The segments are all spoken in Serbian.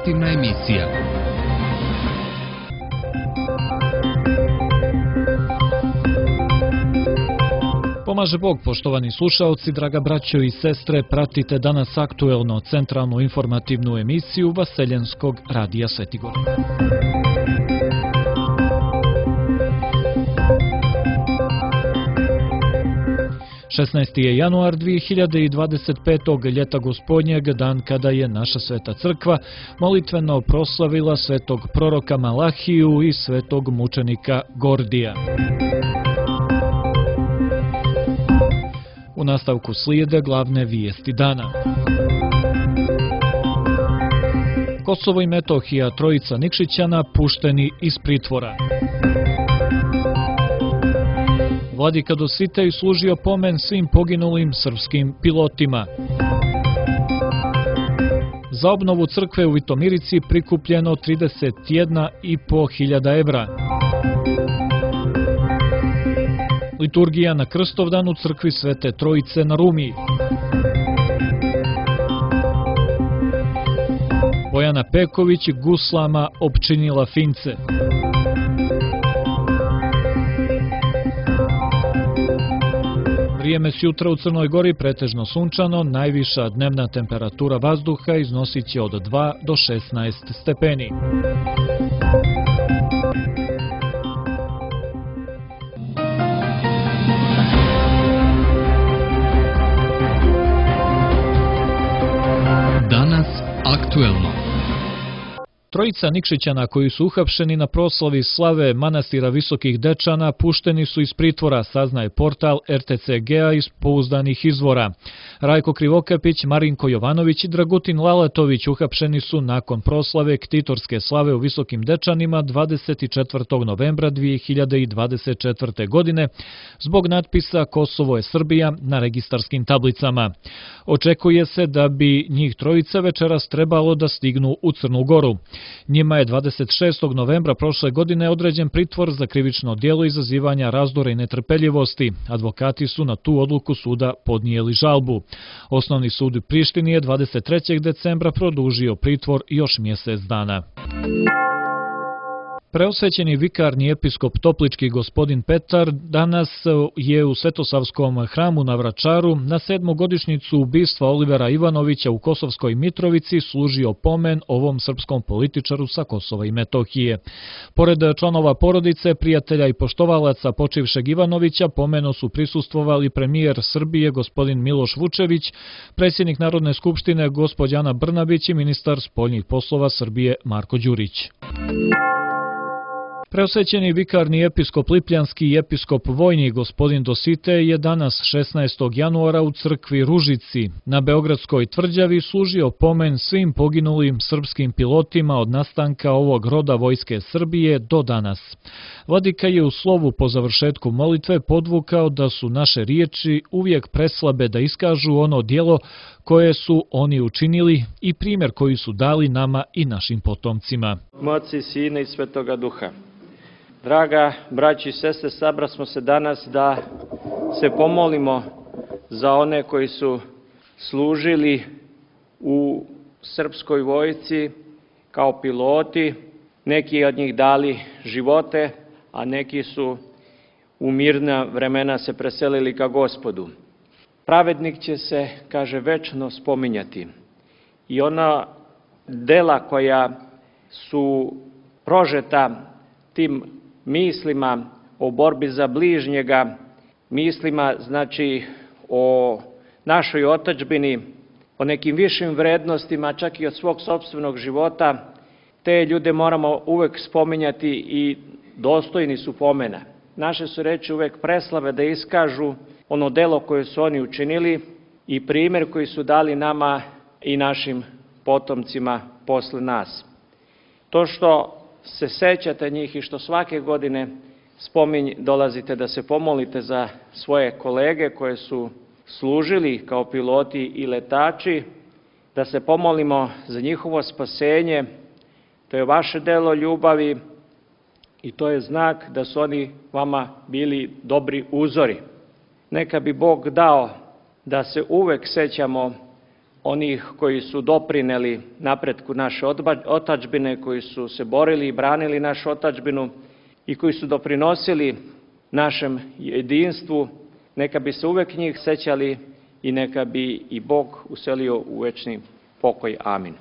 informativna emisija. Pomaže Bog, poštovani slušaoci, draga braćo i sestre, pratite danas aktuelno centralnu informativnu emisiju Vaseljenskog radija Svetigor. 16. je januar 2025. ljeta gospodnjeg, dan kada je naša sveta crkva molitveno proslavila svetog proroka Malahiju i svetog mučenika Gordija. U nastavku slijede glavne vijesti dana. Kosovo i Metohija, trojica Nikšićana pušteni iz pritvora. Vladika Dositej služio pomen svim poginulim srpskim pilotima. Za obnovu crkve u Vitomirici prikupljeno 31.500 evra. Liturgija na Krstovdan u crkvi Svete Trojice na Rumiji. Bojana Peković guslama opčinila Fince. Vrijeme s jutra u Crnoj Gori pretežno sunčano, najviša dnevna temperatura vazduha iznosit će od 2 do 16 stepeni. Danas aktuelno. Trojica Nikšićana koji su uhapšeni na proslavi slave manastira Visokih Dečana pušteni su iz pritvora, saznaje portal RTCG-a iz pouzdanih izvora. Rajko Krivokapić, Marinko Jovanović i Dragutin Lalatović uhapšeni su nakon proslave ktitorske slave u Visokim Dečanima 24. novembra 2024. godine zbog natpisa Kosovo je Srbija na registarskim tablicama. Očekuje se da bi njih trojica večeras trebalo da stignu u Crnu Goru. Njima je 26. novembra prošle godine određen pritvor za krivično djelo izazivanja razdora i netrpeljivosti. Advokati su na tu odluku suda podnijeli žalbu. Osnovni sud u Prištini je 23. decembra produžio pritvor još mjesec dana. Preosvećeni vikarni episkop Toplički gospodin Petar danas je u Svetosavskom hramu na Vračaru na 7. godišnjicu ubistva Olivera Ivanovića u Kosovskoj Mitrovici služio pomen ovom srpskom političaru sa Kosova i Metohije. Pored članova porodice, prijatelja i poštovalaca počivšeg Ivanovića, pomenu su prisustvovali premijer Srbije gospodin Miloš Vučević, predsjednik Narodne skupštine gospođa Ana Brnabić i ministar spoljnih poslova Srbije Marko Đurić. Preosvećeni vikarni episkop Lipljanski i episkop vojni gospodin Dositej je danas 16. januara u crkvi Ružici na Beogradskoj tvrđavi služio pomen svim poginulim srpskim pilotima od nastanka ovog roda vojske Srbije do danas. Vladika je u slovu po završetku molitve podvukao da su naše riječi uvijek preslabe da iskažu ono djelo koje su oni učinili i primjer koji su dali nama i našim potomcima. Oca i Sina i Svetoga Duha. Draga braći i sestre, sabrasmo se danas da se pomolimo za one koji su služili u srpskoj vojsci kao piloti. Neki od njih dali živote, a neki su u mirna vremena se preselili ka Gospodu. Pravednik će se, kaže, večno spominjati. I ona dela koja su prožeta tim mislima o borbi za bližnjega, mislima znači o našoj otadžbini, o nekim višim vrednostima, čak i od svog sopstvenog života, te ljude moramo uvek spominjati i dostojni su pomena. Naše su reči uvek preslave da iskažu ono delo koje su oni učinili i primjer koji su dali nama i našim potomcima posle nas. To što se sećate njih i što svake godine dolazite da se pomolite za svoje kolege koje su služili kao piloti i letači, da se pomolimo za njihovo spasenje, to je vaše delo ljubavi i to je znak da su oni vama bili dobri uzori. Neka bi Bog dao da se uvek sećamo onih koji su doprineli napretku naše otadžbine, koji su se borili i branili našu otadžbinu i koji su doprinosili našem jedinstvu, neka bi se uvek njih sećali i neka bi i Bog uselio u večni pokoj. Amin.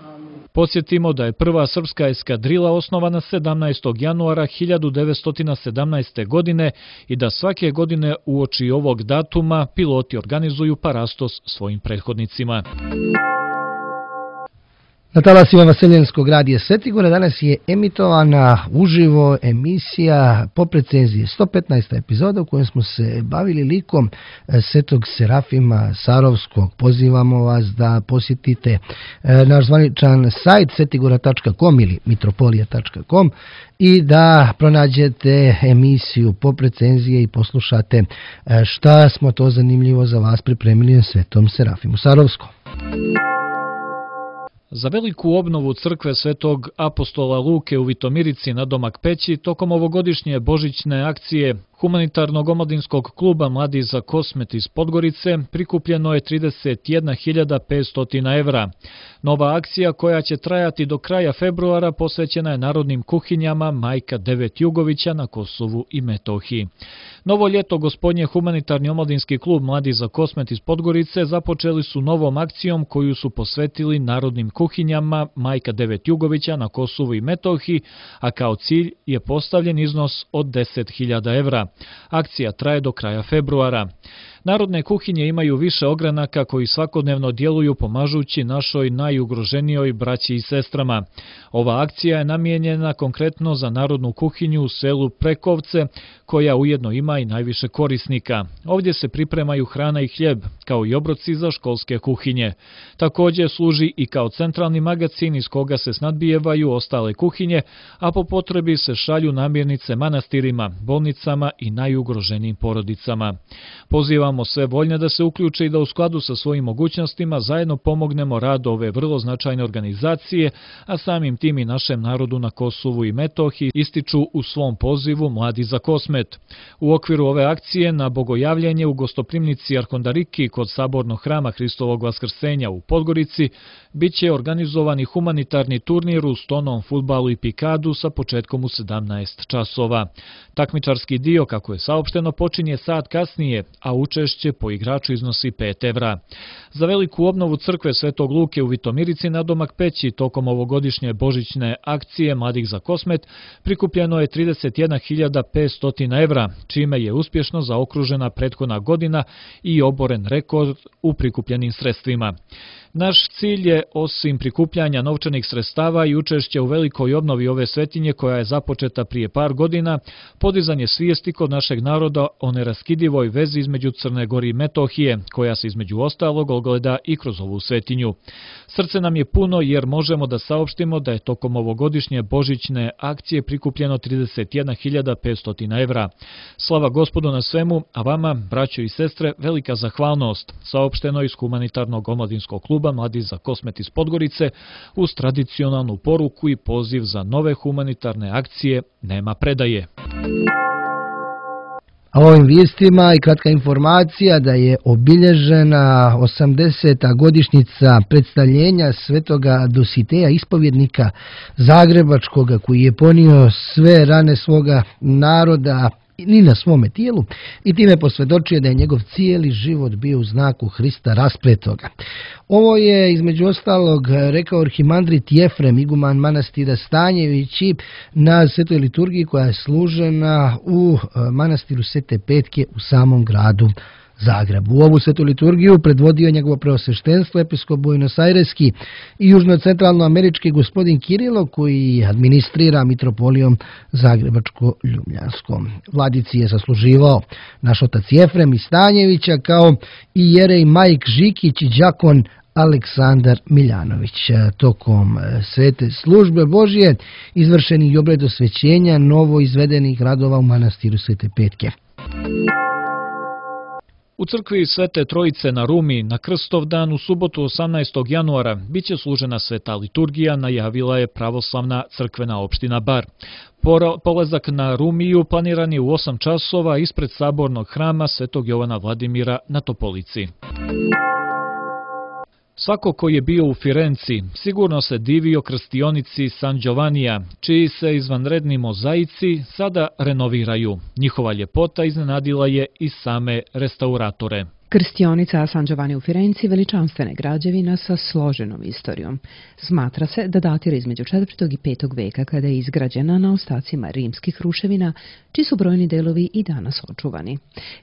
Podsjetimo da je prva srpska eskadrila osnovana 17. januara 1917. godine i da svake godine uoči ovog datuma piloti organizuju parastos svojim prethodnicima. Na talasima Vaseljenskog radija Svetigora danas je emitovana uživo emisija po recenziji 115. epizoda u kojoj smo se bavili likom Svetog Serafima Sarovskog. Pozivamo vas da posjetite naš zvaničan sajt svetigora.com ili mitropolija.com i da pronađete emisiju po recenzije i poslušate šta smo to zanimljivo za vas pripremili na Svetom Serafimu Sarovskom. Za veliku obnovu crkve Svetog apostola Luke u Vitomirici na Domak Peći tokom ovogodišnje božićne akcije Humanitarnog omladinskog kluba Mladi za Kosmet iz Podgorice prikupljeno je 31.500 evra. Nova akcija koja će trajati do kraja februara posvećena je narodnim kuhinjama Majka 9 Jugovića na Kosovu i Metohiji. Novo ljeto gospodnje Humanitarni omladinski klub Mladi za Kosmet iz Podgorice započeli su novom akcijom koju su posvetili narodnim kuhinjama Majka 9 Jugovića na Kosovu i Metohiji, a kao cilj je postavljen iznos od 10.000 evra. Akcija traje do kraja februara. Narodne kuhinje imaju više ogranaka koji svakodnevno djeluju pomažući našoj najugroženijoj braći i sestrama. Ova akcija je namijenjena konkretno za narodnu kuhinju u selu Prekovce, koja ujedno ima i najviše korisnika. Ovdje se pripremaju hrana i hljeb, kao i obroci za školske kuhinje. Također služi i kao centralni magacin iz koga se snadbijevaju ostale kuhinje, a po potrebi se šalju namirnice manastirima, bolnicama i najugroženijim porodicama. Pozivamo sve voljne da se uključe i da u skladu sa svojim mogućnostima zajedno pomognemo radu ove vrlo značajne organizacije, a samim tim i našem narodu na Kosovu i Metohiji, ističu u svom pozivu Mladi za Kosmet. U okviru ove akcije na bogojavljenje u gostoprimnici Arkondariki kod Sabornog hrama Hristovog Vaskrsenja u Podgorici biće organizovani humanitarni turnir u stonom fudbalu i pikadu sa početkom u 17 časova. Takmičarski dio, kako je saopšteno, počinje sat kasnije, a učešće po igraču iznosi 5 evra. Za veliku obnovu crkve Svetog Luke u Vitomirici na Domak Peći tokom ovogodišnje božićne akcije Mladih za Kosmet prikupljeno je 31.500 evra, čime je uspješno zaokružena prethodna godina i oboren rekord u prikupljenim sredstvima. Naš cilj je, osim prikupljanja novčanih sredstava i učešća u velikoj obnovi ove svetinje koja je započeta prije par godina, podizanje svijesti kod našeg naroda o neraskidivoj vezi između Crne Gore i Metohije, koja se između ostalog ogleda i kroz ovu svetinju. Srce nam je puno jer možemo da saopštimo da je tokom ovogodišnje božićne akcije prikupljeno 31.500 evra. Slava Gospodu na svemu, a vama, braćo i sestre, velika zahvalnost, saopšteno iz Humanitarnog omladinskog kluba Mladi za Kosmet iz Podgorice uz tradicionalnu poruku i poziv za nove humanitarne akcije Nema predaje. A ovim vijestima i kratka informacija da je obilježena 80. godišnjica predstavljenja Svetoga Dositeja, ispovjednika Zagrebačkoga, koji je ponio sve rane svoga naroda ni na svome tijelu i time posvjedočio da je njegov cijeli život bio u znaku Hrista raspletoga. Ovo je između ostalog rekao arhimandrit Jefrem, iguman manastira Stanjevići, na svetoj liturgiji koja je služena u manastiru Svete Petke u samom gradu Zagrebu. U ovu svetu liturgiju predvodio njegovo preosveštenstvo episkop Buenos-Aireski i južno-centralnoamerički gospodin Kirilo, koji administrira mitropolijom Zagrebačko-Ljubljanskom. Vladici je zasluživao naš otac Jefrem iz Stanjevića, kao i jerej Majk Žikić i đakon Aleksandar Miljanović. Tokom svete službe Božje izvršeni i obred osvećenja novo izvedenih radova u manastiru Svete Petke. U crkvi Svete Trojice na Rumi na Krstov dan u subotu 18. januara biće služena sveta liturgija, najavila je pravoslavna crkvena opština Bar. Polazak na Rumiju planiran je u 8 časova ispred Sabornog hrama Svetog Jovana Vladimira na Topolici. Svako ko je bio u Firenci sigurno se divio krstionici San Giovannija, čiji se izvanredni mozaici sada renoviraju. Njihova ljepota iznenadila je i same restauratore. Krstionica San Giovanni u Firenci veličanstvena je građevina sa složenom istorijom. Smatra se da datira između 4. i 5. veka kada je izgrađena na ostacima rimskih ruševina, čiji su brojni delovi i danas očuvani.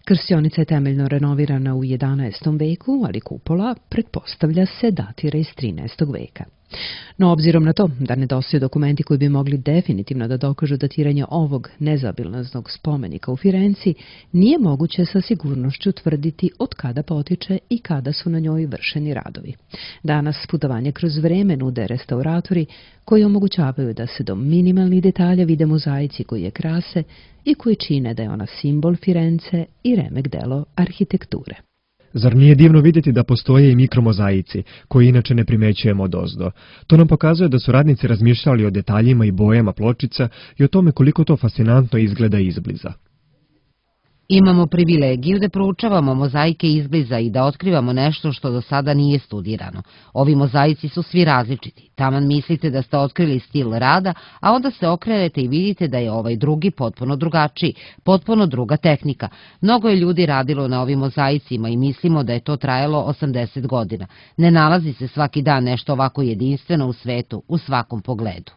Krstionica je temeljno renovirana u 11. veku, ali kupola pretpostavlja se datira iz 13. veka. No, obzirom na to da nedostaju dokumenti koji bi mogli definitivno da dokažu datiranje ovog nezaobilaznog spomenika u Firenci, nije moguće sa sigurnošću tvrditi od kada potiče i kada su na njoj vršeni radovi. Danas putovanje kroz vreme nude restauratori koji omogućavaju da se do minimalnih detalja vide mozaici koji je krase i koji čine da je ona simbol Firence i remek delo arhitekture. Zar nije divno vidjeti da postoje i mikromozaici, koji inače ne primećujemo odozdo? To nam pokazuje da su radnici razmišljali o detaljima i bojama pločica i o tome koliko to fascinantno izgleda izbliza. Imamo privilegiju da proučavamo mozaike izbliza i da otkrivamo nešto što do sada nije studirano. Ovi mozaici su svi različiti. Taman mislite da ste otkrili stil rada, a onda se okrenete i vidite da je ovaj drugi potpuno drugačiji, potpuno druga tehnika. Mnogo je ljudi radilo na ovim mozaicima i mislimo da je to trajalo 80 godina. Ne nalazi se svaki dan nešto ovako jedinstveno u svetu, u svakom pogledu.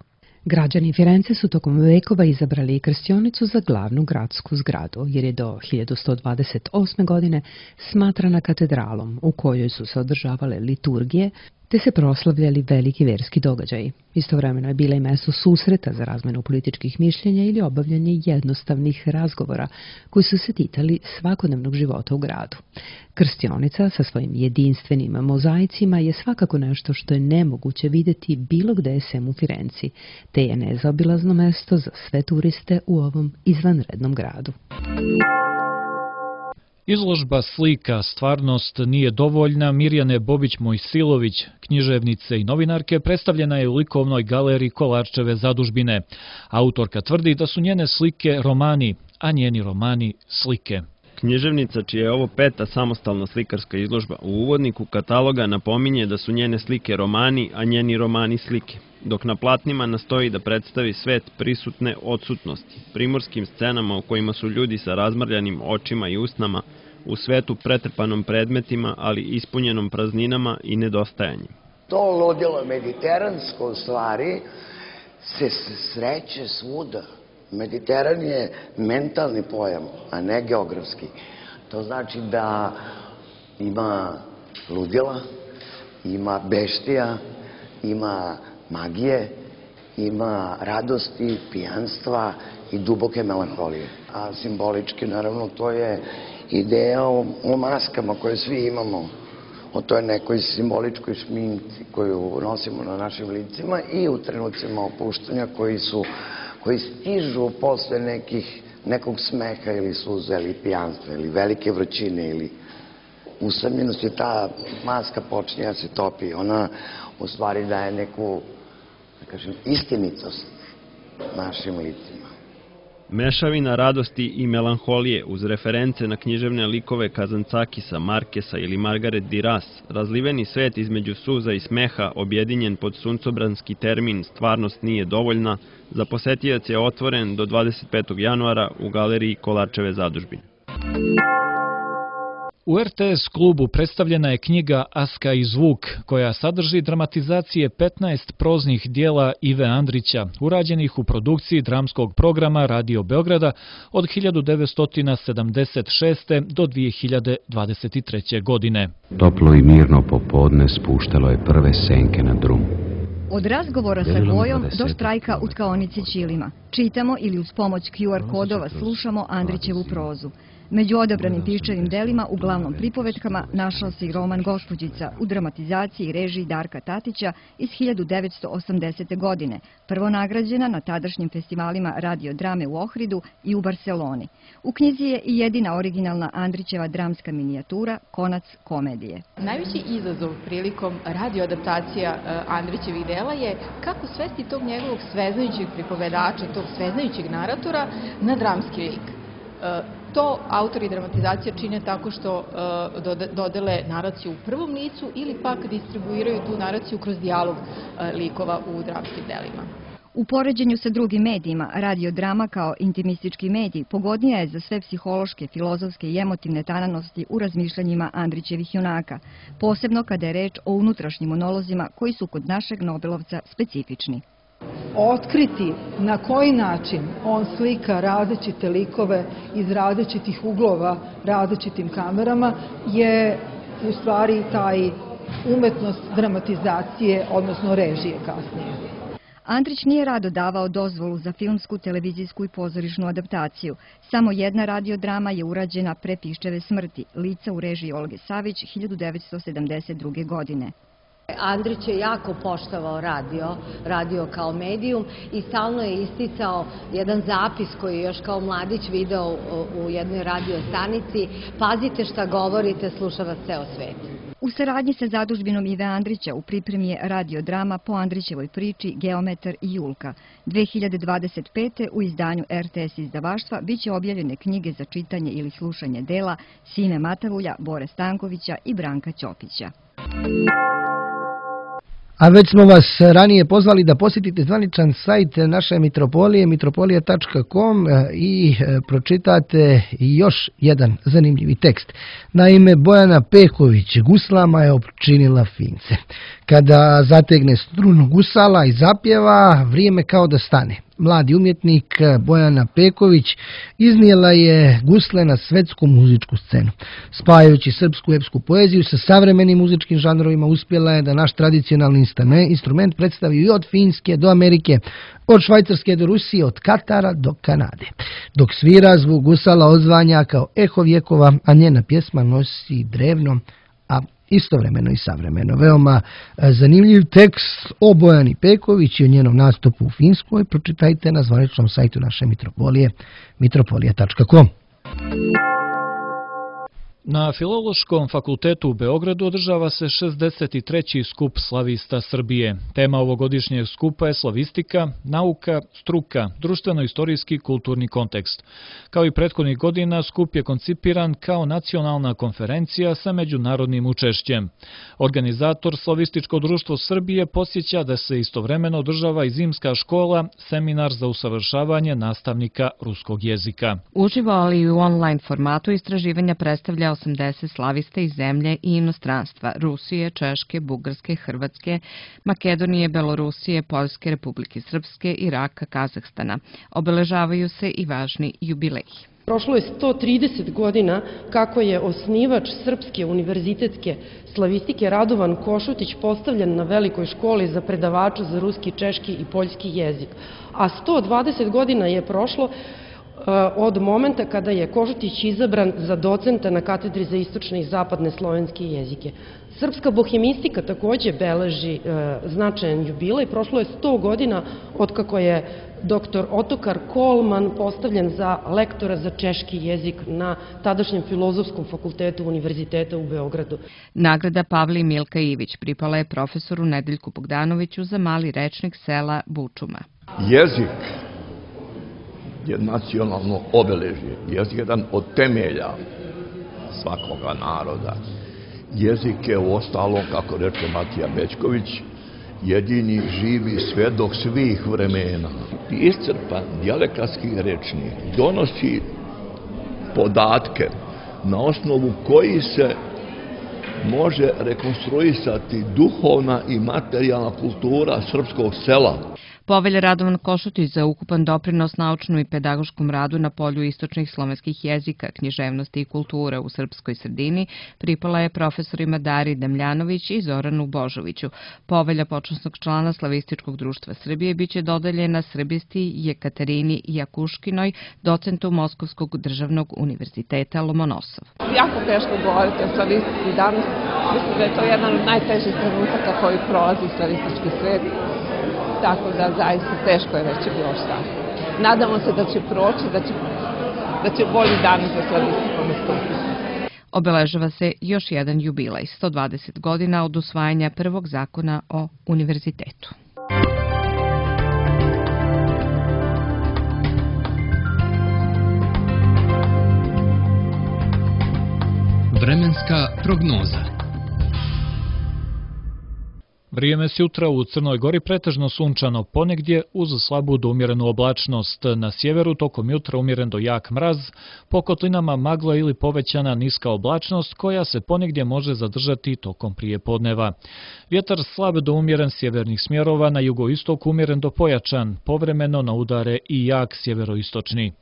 Građani Firence su tokom vekova izabrali krstionicu za glavnu gradsku zgradu, jer je do 1128. godine smatrana katedralom u kojoj su se održavale liturgije, te se proslavljali veliki verski događaji. Istovremeno je bila i mesto susreta za razmenu političkih mišljenja ili obavljanje jednostavnih razgovora koji su se ticali svakodnevnog života u gradu. Krstionica sa svojim jedinstvenim mozaicima je svakako nešto što je nemoguće vidjeti bilo gde sem u Firenci, te je nezaobilazno mesto za sve turiste u ovom izvanrednom gradu. Izložba slika Stvarnost nije dovoljna Mirjane Bobić-Mojsilović, književnice i novinarke, predstavljena je u likovnoj galeriji Kolarčeve zadužbine. Autorka tvrdi da su njene slike romani, a njeni romani slike. Književnica, čija je ovo 5. samostalna slikarska izložba, u uvodniku kataloga napominje da su njene slike romani, a njeni romani slike, dok na platnima nastoji da predstavi svet prisutne odsutnosti, primorskim scenama u kojima su ljudi sa razmrljanim očima i usnama, u svetu pretrpanom predmetima, ali ispunjenom prazninama i nedostajanjem. To ludilo mediteransko u stvari se sreće svuda. Mediteran je mentalni pojam, a ne geografski. To znači da ima ludila, ima beštija, ima magije, ima radosti, pijanstva i duboke melanholije. A simbolički, naravno, to je ideja o maskama koje svi imamo, o toj nekoj simboličkoj šminci koju nosimo na našim licima i u trenucima opuštanja koji stižu posle nekog smeha ili suza ili pijanstva ili velike vrućine ili usamljenosti. Ta maska počinje da se topi. Ona u stvari daje neku, da kažem, istinitost našim licima. Mešavina radosti i melanholije uz reference na književne likove Kazancakisa, Markesa ili Margaret Duras, razliveni svet između suza i smeha, objedinjen pod suncobranski termin Stvarnost nije dovoljna, za posetijac je otvoren do 25. januara u galeriji Kolarčeve zadužbine. U RTS klubu predstavljena je knjiga Aska i zvuk, koja sadrži dramatizacije 15 proznih dijela Ive Andrića, urađenih u produkciji dramskog programa Radio Beograda od 1976. do 2023. godine. Toplo i mirno popodne spuštalo je prve senke na drum. Od razgovora sa Gojom do štrajka u tkaonici Ćilima. Čitamo ili uz pomoć QR kodova slušamo Andrićevu prozu. Među odabranim piščevim delima, uglavnom pripovetkama, našao se i roman Gospođica u dramatizaciji i režiji Darka Tatića iz 1980. godine, prvo nagrađena na tadašnjim festivalima radiodrame u Ohridu i u Barseloni. U knjizi je i jedina originalna Andrićeva dramska minijatura Konac komedije. Najveći izazov prilikom radioadaptacija Andrićevih dela je kako svesti tog njegovog sveznajućeg pripovedača, tog sveznajućeg naratora na dramski lik. To autori dramatizacije čine tako što dodele naraciju u prvom licu ili pak distribuiraju tu naraciju kroz dijalog likova u dramskim delima. U poređenju sa drugim medijima, radiodrama kao intimistički medij pogodnija je za sve psihološke, filozofske i emotivne tananosti u razmišljanjima Andrićevih junaka, posebno kada je reč o unutrašnjim monolozima koji su kod našeg Nobelovca specifični. Otkriti na koji način on slika različite likove iz različitih uglova, različitim kamerama, je u stvari taj umetnost dramatizacije, odnosno režije kasnije. Andrić nije rado davao dozvolu za filmsku, televizijsku i pozorišnu adaptaciju. Samo jedna radiodrama je urađena pre Piščeve smrti, Lica u režiji Olge Savić 1972. godine. Andrić je jako poštovao radio kao medijum i stalno je isticao jedan zapis koji je još kao mladić video u jednoj radio stanici. Pazite šta govorite, sluša vas ceo svet. U saradnji sa zadužbinom Ive Andrića u pripremi je radiodrama po Andrićevoj priči Geometar i Julka. 2025. u izdanju RTS izdavaštva biće objavljene knjige za čitanje ili slušanje dela Sime Matavulja, Bore Stankovića i Branka Ćopića. A već smo vas ranije pozvali da posjetite zvaničan sajt naše mitropolije, mitropolija.com i pročitate još jedan zanimljivi tekst. Naime, Bojana Peković guslama je opčinila fince. Kada zategne strunu gusala i zapjeva, vrijeme kao da stane. Mladi umjetnik Bojana Peković iznijela je gusle na svetsku muzičku scenu. Spajajući srpsku epsku poeziju sa savremenim muzičkim žanrovima, uspjela je da naš tradicionalni instrument predstavi i od Finske do Amerike, od Švajcarske do Rusije, od Katara do Kanade. Dok svira, zvuk gusala odzvanja kao eho vjekova, a njena pjesma nosi drevno, a istovremeno i savremeno. Veoma zanimljiv tekst o Bojani Peković i o njenom nastupu u Finskoj pročitajte na zvaničnom sajtu naše mitropolije, mitropolija.com. Na Filološkom fakultetu u Beogradu održava se 63. skup slavista Srbije. Tema ovogodišnjeg skupa je slavistika, nauka, struka, društveno-istorijski kulturni kontekst. Kao i prethodnih godina, skup je koncipiran kao nacionalna konferencija sa međunarodnim učešćem. Organizator Slavističko društvo Srbije podsjeća da se istovremeno održava i zimska škola, seminar za usavršavanje nastavnika ruskog jezika. Uživo, ali i u online formatu istraživanja predstavlja 80 slavista iz zemlje i inostranstva: Rusije, Češke, Bugarske, Hrvatske, Makedonije, Belorusije, Poljske, Republike Srpske, Iraka, Kazahstana. Obeležavaju se i važni jubileji. Prošlo je 130 godina kako je osnivač Srpske univerzitetske slavistike Radovan Košutić postavljen na velikoj školi za predavača za ruski, češki i poljski jezik. A 120 godina je prošlo od momenta kada je Košutić izabran za docenta na katedri za istočne i zapadne slovenske jezike. Srpska bohemistika takođe beleži značajan jubilej. Prošlo je 100 godina od kako je dr. Otokar Kolman postavljen za lektora za češki jezik na tadašnjem Filozofskom fakultetu Univerziteta u Beogradu. Nagrada Pavli Milka Ivić pripala je profesoru Nedeljku Bogdanoviću za mali rečnik sela Bučuma. Jezik je nacionalno obeležje. Jezik je jedan od temelja svakoga naroda. Jezik je u ostalom, kako reče Matija Bećković, jedini živi svedok svih vremena. Iscrpan dijalekatski rečnik donosi podatke na osnovu koji se može rekonstruisati duhovna i materijalna kultura srpskog sela. Povelja Radovan Košutić za ukupan doprinos naučnom i pedagoškom radu na polju istočnih slovenskih jezika, književnosti i kulture u srpskoj sredini pripala je profesorima Dari Damljanović i Zoranu Božoviću. Povelja počasnog člana Slavističkog društva Srbije biće dodeljena srbisti Jekaterini Jakuškinoj, docentu Moskovskog državnog univerziteta Lomonosov. Jako teško govoriti o slavistici danas. Mislim da je to jedan od najtežih trenutaka koji prolazi slavistički svet. Tako da zaista teško je reći bilo šta. Nadamo se da će proći, da će bolji dani za slavistiku nastupiti. Obeležava se još jedan jubilej, 120 godina od usvajanja prvog zakona o univerzitetu. Vremenska prognoza. Vrijeme s jutra u Crnoj Gori pretežno sunčano, ponegdje uz slabu do umjerenu oblačnost. Na sjeveru tokom jutra umjeren do jak mraz, po kotlinama magla ili povećana niska oblačnost koja se ponegdje može zadržati tokom prijepodneva. Vjetar slab do umjeren sjevernih smjerova, na jugoistoku umjeren do pojačan, povremeno na udare i jak sjeveroistočni.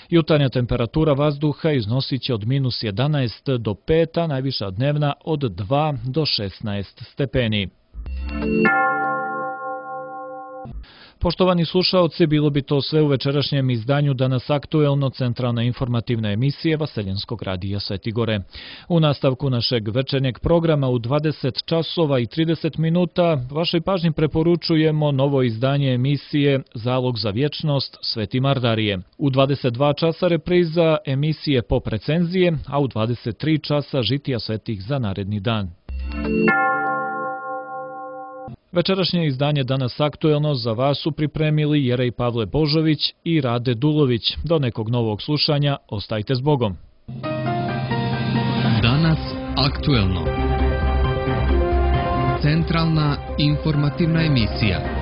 Jutarnja temperatura vazduha iznosit će od -11 do 5, a najviša dnevna od 2 do 16 stepeni. Poštovani slušaoci, bilo bi to sve u večerašnjem izdanju Danas aktuelno, centralna informativna emisija Vaseljenskog radija Svetigore. U nastavku našeg večernjeg programa u 20 časova i 30 minuta vašoj pažnji preporučujemo novo izdanje emisije Zalog za vječnost Sveti Mardarije. U 22 časa repriza emisije Pop recenzije, a u 23 časa žitija svetih za naredni dan. Večerašnje izdanje Danas aktuelno za vas su pripremili Jerej Pavle Božović i Rade Dulović. Do nekog novog slušanja, ostajte s Bogom. Danas aktuelno. Centralna informativna emisija.